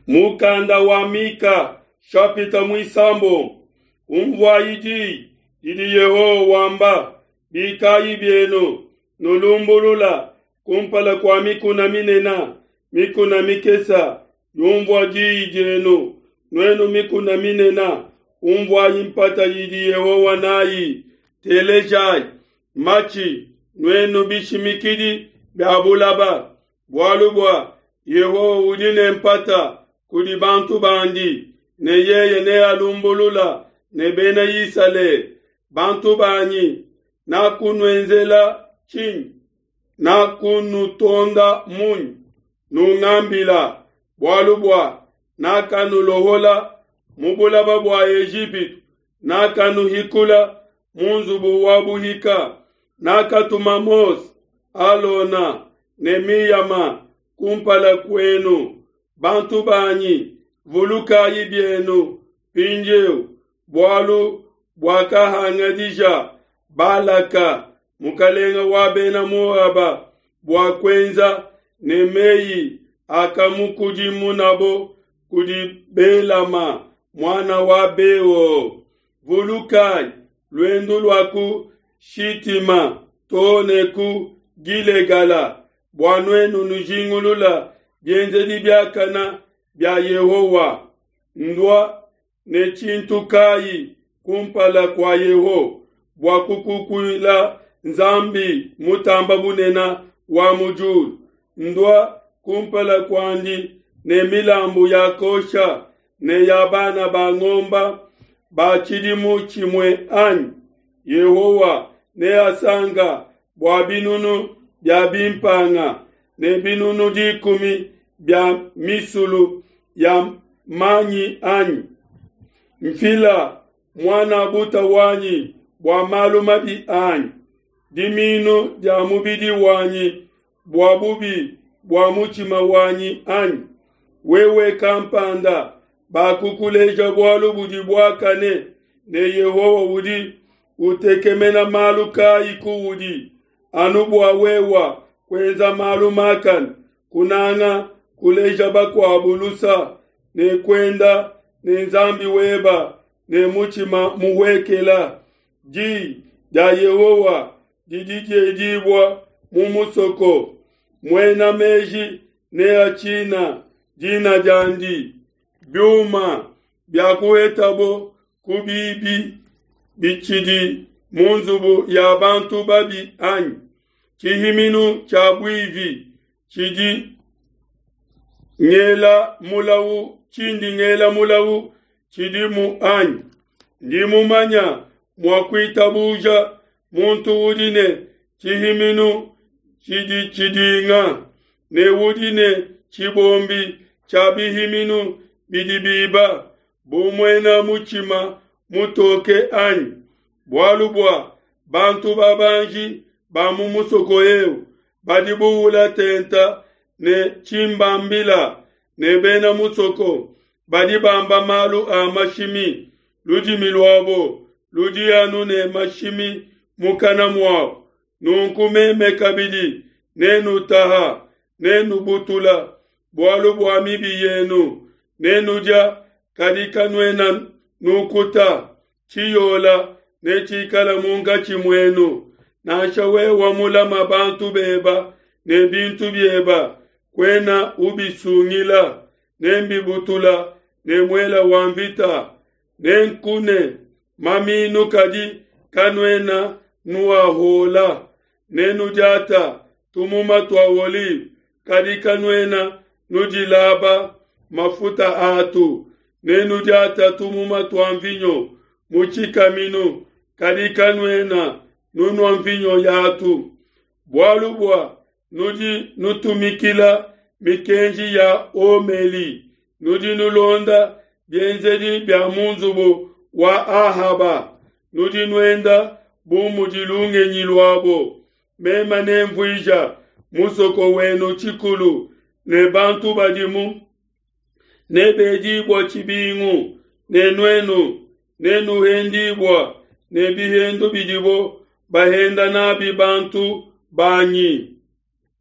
Mukanda wa Mika shapita muisambombo. Umvuayi diyi didi Yehowa wamba, Bikayi bienu, nulumbulula kumpala kua mikuna minene, mikuna mikese yumvua diyi dienu. Nuenu mikuna minene, umvuayi mpata idi Yehowa nayi. Telejayi matshi, nuenu bishimikidi bia bulaba. Bualu bua Yehowa udi ne mpata kudi bantu bandi, ne yeye nealumbulula ne Bena Isalele. Bantu banyi, nakunuenzela tshinyi? Nakunutonda munyi? Nungambila, bualu bua nakanulohola mu bulaba bua Ejipitu, nakanuhikula mu nzubu wa buhika, nakatuma Mose, Alona ne Miyama kumpala kuenu. Bantu banyi, vulukayi bienu mpindieu bualu buakahangadija Balaka, mukalenge wa bena Moaba, bua kuenza, ne meyi akamukudimunabo kudi Belama, muana wa Beo. Vulukayi luendu lua ku Shitima too ne ku Gilegala, bua nuenu nujingulula bienzedi biakana bia Yehowa. Ndua ne tshintu kayi kumpala kua Yehowa bua kukukuila Nzambi Mutamba Bunene wa mu diulu? Ndua kumpala kuandi ne milambu ya kosha ne ya bana ba ngomba ba tshidimu tshimue anyi? Yehowa neasanka bua binunu bia bimpanga ne binunu dikumi bia misulu ya manyi anyi? Mfila muan'a wanyi bua malu mabi anyi, diminu dia mubidi wanyi bua bubi bua mutshima wanyi anyi? Wewe kampanda bakukuleja bualu budi buakane, ne Yehowa udi utekemena malu kayi kuudi, anu bua wewa kuenza malu makane, kunanga kuleja bakuabu lusa, ne kuenda ne Nzambi weba ne mutshima muhuekela. Diyi dia Yehowa didi diedibua mu musoko, muena meji neatshina dina diandi. Biuma biakuhetabo ku bibi bitshidi mu nzubu ya bantu babi anyi? Tshihiminu tshia buivi tshidi ngela mulawu tshindi ngela mulawu tshidimu anyi? Ndi mumanya mua kuitabuja muntu udi ne tshihiminu tshidi tshidinga, ne udi ne tshibombi tshia bihiminu bidi biba, bu muena mutshima mutoke anyi? Bualu bua bantu babanji ba mu musoko eu badi buwula tenta ne tshimbambila, ne bena musoko badi bamba malu a mashimi, ludimi luabo ludi anu ne mashimi mukana muabo. Nunku meme kabidi nenutaha, nenubutula bualu bua mibi yenu, nenudia kadi kanuena nukuta. Tshiyola netshikala munkatshi muenu. Nansha wewa mulama bantu beba ne bintu bieba, kuena ubisungila, nembibutula ne muela wa mvita. Nenkune maminu kadi kanuena nuahuola, nenudiata tumuma tua olive kadi kanuena nudilaba mafuta atu, nenudiata tumuma tua mvinyo mu tshikaminu kadi kanuena nunua mvinyo yatu. Bualu bua nudi nutumikila mikenji ya Omeli, nudi nulonda bienzedi bia mu nzubu wa Ahaba, nudi nuenda bu mudi lungenyi luabo. Meme nemvuija musoko wenu tshikulu, ne bantu badimu nebedibua tshibingu, ne nuenu nenuhendibua ne bihendu bidibo bahenda nabi bantu banyi.